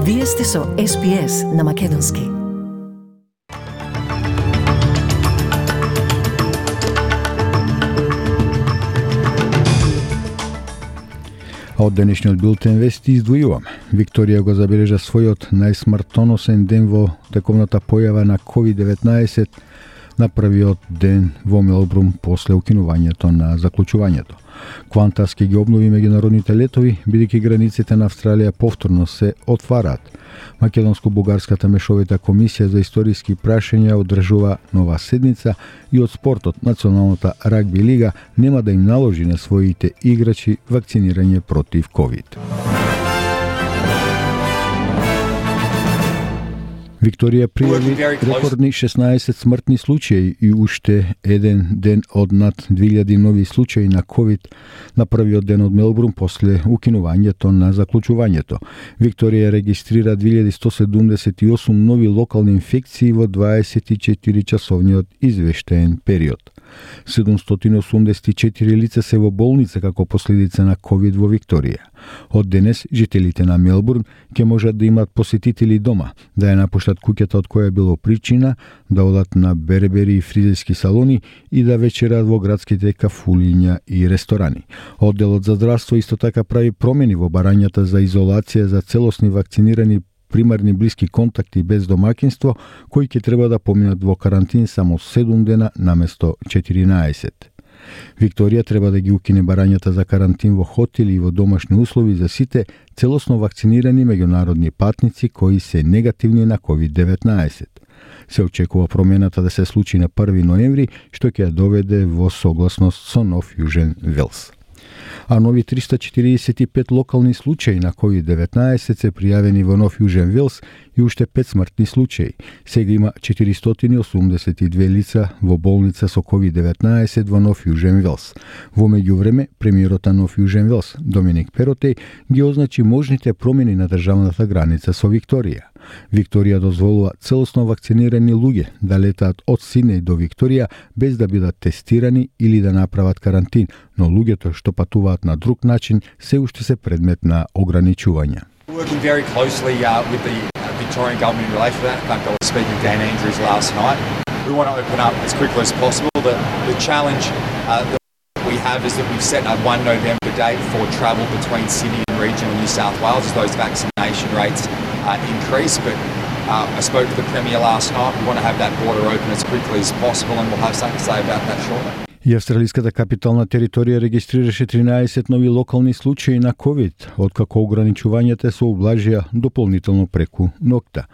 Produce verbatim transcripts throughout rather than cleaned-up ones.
Вие сте со Ес Би Ес на Македонски. А од денешниот билтен вести издвојувам. Викторија го забележа својот најсмртоносен ден во тековната појава на ковид деветнаесет на првиот ден во Мелбурн после укинувањето на заклучувањето. Квантас ќе ги обнови меѓународните летови, бидејќи границите на Австралија повторно се отвараат. Македонско-бугарската мешовита комисија за историски прашања одржува нова седница и од спортот Националната рагби лига нема да им наложи на своите играчи вакцинирање против ковид. Викторија пријави рекордни шеснаесет смртни случаи и уште еден ден од над две илјади нови случаи на ковид на првиот ден од Мелбурн после укинувањето на заклучувањето. Викторија регистрира две илјади сто седумдесет и осум нови локални инфекции во дваесет и четири часовниот извештаен период. седумстотини осумдесет и четири лица се во болница како последица на ковид во Викторија. Од денес жителите на Мелбурн ќе можат да имат посетители дома, да ја напуштат куќата од која било причина, да одат на бербери и фризерски салони и да вечерат во градските кафулиња и ресторани. Одделот за здравство исто така прави промени во барањата за изолација за целосни вакцинирани примарни блиски контакти без домаќинство, кои ќе треба да поминат во карантин само седум дена наместо четиринаесет. Викторија треба да ги укине барањата за карантин во хотели и во домашни услови за сите целосно вакцинирани меѓународни патници кои се негативни на ковид деветнаесет. Се очекува промената да се случи на први ноември, што ќе ја доведе во согласност со Нов Јужен Велс. А нови триста четиридесет и пет локални случаи на ковид деветнаесет се пријавени во Нов Јужен Велс и уште пет смртни случаи. Сега има четиристотини и осумдесет и две лица во болница со ковид деветнаесет во Нов Јужен Велс. Во меѓувреме, премиерот на Нов Јужен Велс, Доминик Перотеј, ги означи можните промени на државната граница со Викторија. Викторија дозволува целосно вакцинирани луѓе да летаат од Сиднеј до Викторија без да бидат тестирани или да направат карантин, но луѓето што патуваат на друг начин се уште се предмет на ограничувања. Working very closely uh, with the Victorian government in relation to that. I was speaking with Dan Andrews last night. We want to open up as quickly as possible. The, the challenge uh, that we have is that we've set a one November date for travel between Sydney and regional New South Wales as those vaccination rates uh, increase. But uh, I spoke to the Premier last night. We want to have that border open as quickly as possible, and we'll have something to say about that shortly. И австралиската капитална територија регистрираше тринаесет нови локални случаи на ковид, откако ограничувањата се ублажија дополнително преку ноќта.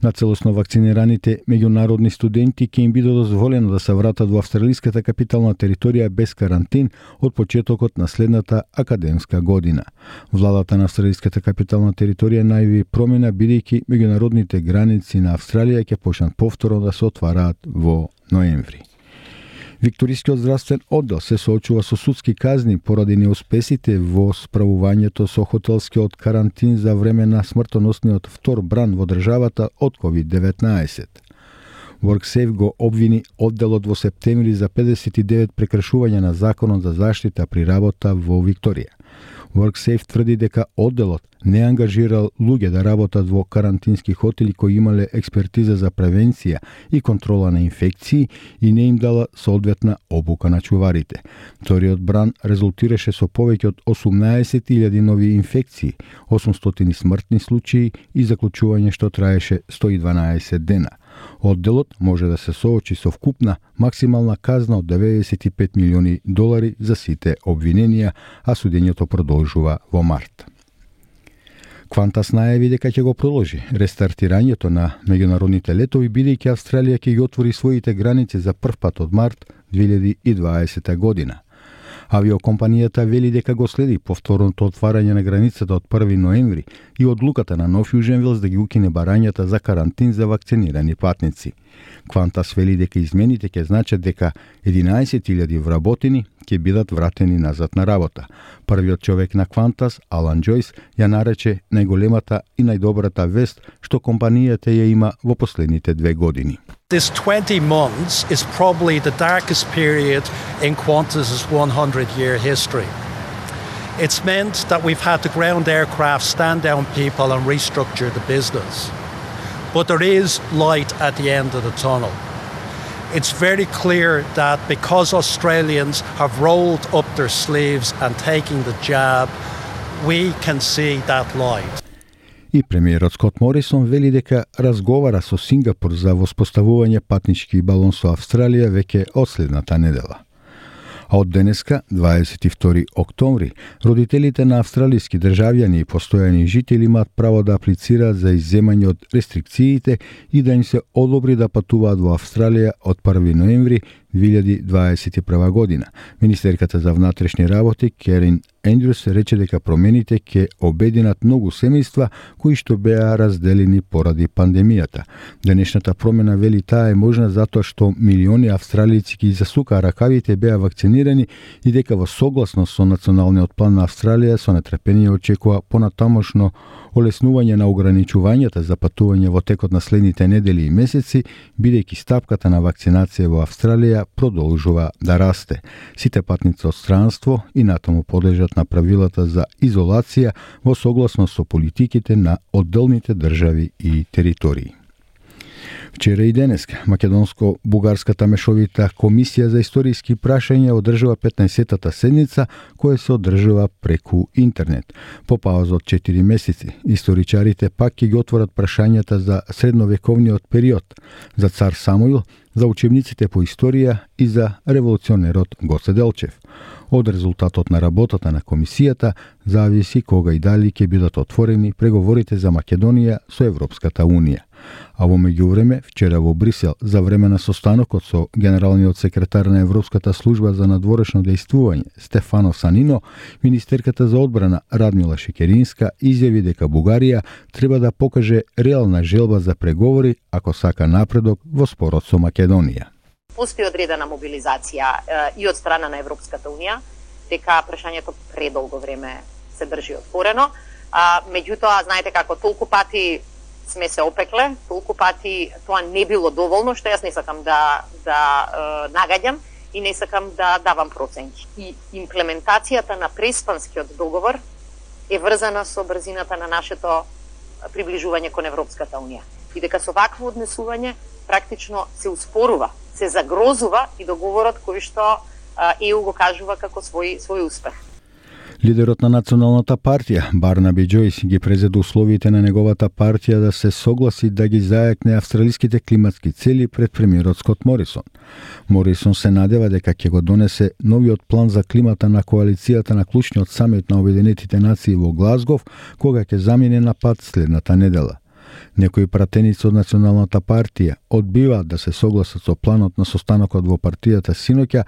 На целосно вакцинираните меѓународни студенти ќе им биде дозволено да се вратат во австралиската капитална територија без карантин од почетокот на следната академска година. Владата на австралиската капитална територија најави промена бидејќи меѓународните граници на Австралија ќе почнат повторно да се отвараат во ноември. Викторискиот здравствен оддел се соочува со судски казни поради неуспесите во справувањето со хотелскиот карантин за време на смртоносниот втор бран во државата од ковид деветнаесет. WorkSafe го обвини одделот во септември за педесет и девет прекршувања на законот за заштита при работа во Викторија. WorkSafe тврди дека одделот не ангажирал луѓе да работат во карантински хотели кои имале експертиза за превенција и контрола на инфекции и не им дала соодветна обука на чуварите. Вториот бран резултираше со повеќе од осумнаесет илјади нови инфекции, осумстотини смртни случаи и заклучување што траеше сто и дванаесет дена. Одделот може да се соочи со вкупна максимална казна од деветдесет и пет милиони долари за сите обвиненија, а судењето продолжува во март. Квантас најави дека ќе го продолжи рестартирањето на меѓународните летови, бидејќи Австралија ќе ги отвори своите граници за прв пат од март две илјади и дваесета година. Авиокомпанијата вели дека го следи повторното отварање на границата од први ноември и одлуката на Нов Јужен Велс да ги укине барањата за карантин за вакцинирани патници. Квантас вели дека измените ќе значат дека единаесет илјади вработени ќе бидат вратени назад на работа. Првиот човек на Квантас, Алан Џојс, ја нарече најголемата и најдобрата вест што компанијата ја има во последните две години. This twenty months is probably the darkest period in Qantas's one hundred year history. It's meant that we've had to ground aircraft, stand down people and restructure the business. But there is light at the end of the tunnel. It's very clear that because Australians have rolled up their sleeves and taken the jab, we can see that light. И премиерот Скот Морисон вели дека разговара со Сингапур за воспоставување патнички балон со Австралија веќе од следната недела. А од денеска, дваесет и втори октомври, родителите на австралиски државјани и постојани жители имаат право да аплицираат за изземање од рестрикциите и да им се одобри да патуваат во Австралија од први ноември две илјади дваесет и прва година. Министерката за внатрешни работи Керин Ендрюс рече дека промените ќе обединат многу семејства кои што беа разделени поради пандемијата. Денешната промена, вели таа, е можна затоа што милиони австралијци ги засукаа ракавите, беа вакцинирани и дека во согласност со националниот план на Австралија со нетрпение очекува понатамошно олеснување на ограничувањата за патување во текот на следните недели и месеци, бидејќи стапката на вакцинација во Австралија продолжува да расте. Сите патници од странство и натаму подлежат на правилата за изолација во согласност со политиките на одделните држави и територии. Вчера и денеска Македонско-бугарската мешовита комисија за историски прашања одржува петнаесеттата седница, која се одржува преку интернет. По пауза од четири месеци, историчарите пак ќе ги отворат прашањата за средновековниот период, за цар Самуил, за учебниците по историја и за револуционерот Гоце Делчев. Од резултатот на работата на комисијата зависи кога и дали ќе бидат отворени преговорите за Македонија со Европската Унија. А во меѓувреме, вчера во Брисел, за време на состанокот со генералниот секретар на Европската служба за надворешно дејствување Стефано Санино, министерката за одбрана Радмила Шекеринска изјави дека Бугарија треба да покаже реална желба за преговори ако сака напредок во спорот со Македонија. Постои одредена мобилизација е, и од страна на Европската Унија, дека прашањето предолго време се држи отворено. А, меѓутоа, знаете како, толку пати сме се опекле, толку пати тоа не било доволно, што јас не сакам да, да е, нагаѓам и не сакам да давам проценки. И имплементацијата на Преспанскиот договор е врзана со брзината на нашето приближување кон Европската Унија. И дека со вакво однесување практично се успорува, се загрозува и договорот кој што ЕУ го кажува како свој свој успех. Лидерот на Националната партија, Барнаби Џојс, ги презеде условите на неговата партија да се согласи да ги зајакне австралиските климатски цели пред премиерот Скот Морисон. Морисон се надева дека ќе го донесе новиот план за климата на коалицијата на клучниот самит на Обединетите нации во Глазгов, кога ќе замине на пат следната недела. Некои пратеници од Националната партија одбиваат да се согласат со планот на состанокот во партијата синоќа,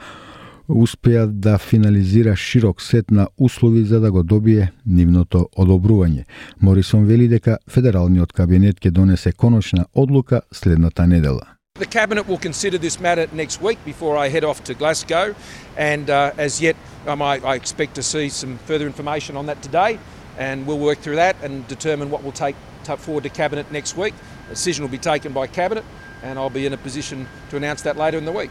успеа да финализира широк сет на услови за да го добие нивното одобрување. Морисон вели дека федералниот кабинет ќе донесе конечна одлука следната недела. The Cabinet will consider this matter next week before I head off to Glasgow, and uh, as yet um, I, I expect to see some further information on that today, and we'll work through that and determine what we'll take forward to Cabinet next week. A decision will be taken by Cabinet, and I'll be in a position to announce that later in the week.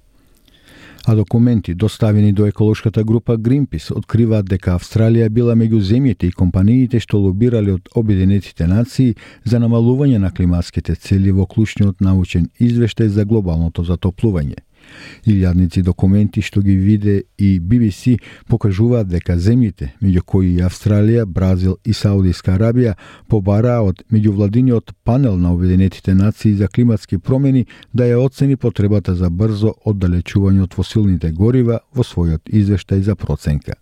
А документи доставени до еколошката група Greenpeace откриваат дека Австралија била меѓу земјите и компаниите што лобирале од Обединетите нации за намалување на климатските цели во клучниот научен извештај за глобалното затоплување. Илјадници документи што ги виде и Би Би Си покажуваат дека земјите, меѓу кои и Австралија, Бразил и Саудиска Арабија, побараа од меѓувладиниот панел на Обединетите нации за климатски промени да ја оцени потребата за брзо оддалечување од фосилните горива во својот извештај за проценка.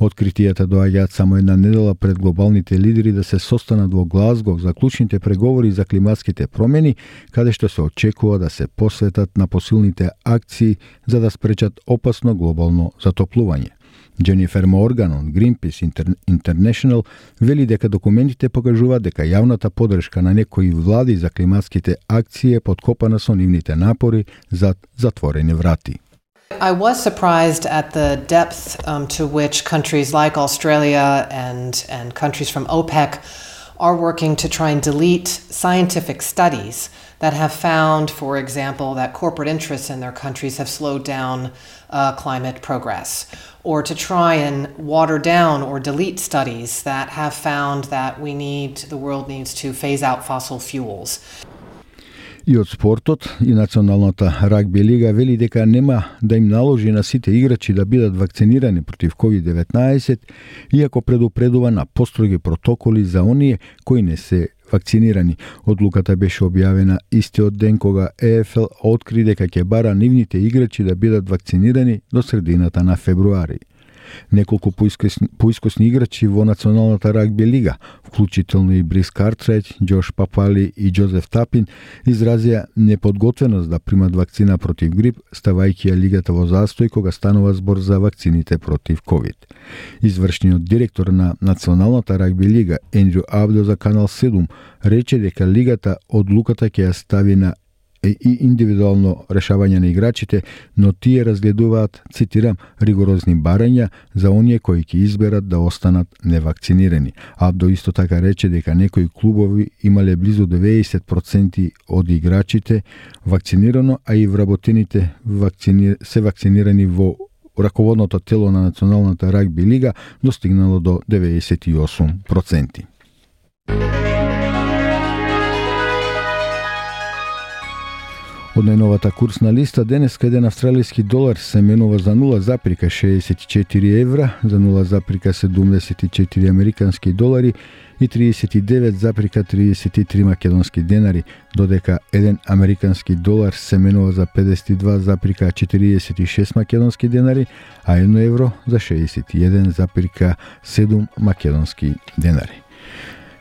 Откритијата доаѓаат само една недела пред глобалните лидери да се состанат во Глазгов за клучните преговори за климатските промени, каде што се очекува да се посветат на посилните акции за да спречат опасно глобално затоплување. Дженифер Морган од Greenpeace International вели дека документите покажуваат дека јавната поддршка на некои влади за климатските акции е подкопана со нивните напори зад затворени врати. I was surprised at the depth um, to which countries like Australia and, and countries from OPEC are working to try and delete scientific studies that have found, for example, that corporate interests in their countries have slowed down uh, climate progress, or to try and water down or delete studies that have found that we need, the world needs to phase out fossil fuels. И од спортот, и Националната рагби лига вели дека нема да им наложи на сите играчи да бидат вакцинирани против ковид деветнаесет, иако предупредува на построги протоколи за оние кои не се вакцинирани. Одлуката беше објавена истиот ден кога Е Ф Л откри дека ќе бара нивните играчи да бидат вакцинирани до средината на февруари. Неколку поискосни, поискосни играчи во Националната рагби лига, вклучително и Брис Картрайт, Џош Папали и Џозеф Тапин, изразија неподготвеност да примат вакцина против грип, ставајќи ја лигата во застој кога станува збор за вакцините против ковид. Извршниот директор на Националната рагби лига, Ендрю Абдо за Канал седум, рече дека лигата одлуката ќе ја стави на и индивидуално решавање на играчите, но тие разгледуваат, цитирам, ригорозни барања за оние кои ќе изберат да останат невакцинирани. Абдо исто така рече дека некои клубови имале близу деветдесет проценти од играчите вакцинирано, а и вработените вакцини... се вакцинирани во раководното тело на Националната рагби лига достигнало до деветдесет и осум проценти. Од најновата курсна листа, денеска еден австралиски долар се менува за нула запирка шеесет и четири евра, за нула запирка седумдесет и четири американски долари и триесет и девет запирка триесет и три македонски денари, додека еден американски долар се менува за педесет и два запирка четириесет и шест македонски денари, а едно евро за шеесет и еден запирка седум македонски денари.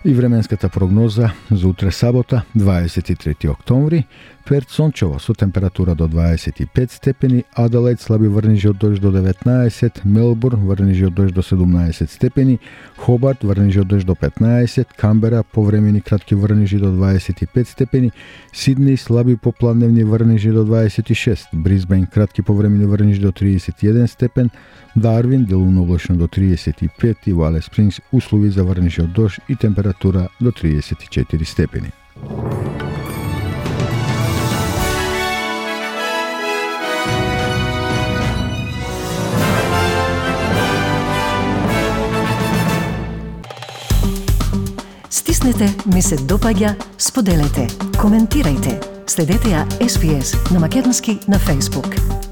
И временската прогноза за утре сабота, дваесет и трети октомври, Перт сончево со температура до дваесет и пет степени, Аделаид слаби врнежи од дожд до деветнаесет, Мелбурн врнежи од дожд до седумнаесет степени, Хобарт врнежи од дожд до петнаесет, Камбера повремени кратки врнежи до дваесет и пет степени, Сиднеј слаби попладневни врнежи до дваесет и шест, Брисбејн кратки повремени врнежи до триесет и еден степен, Дарвин делумно облачно до триесет и пет и во Алис Спрингс услови за врнежи од дожд и температура до триесет и четири степени. Стиснете, ми се допаѓа, споделете, коментирајте. Следете ја Ес Би Ес на македонски на Facebook.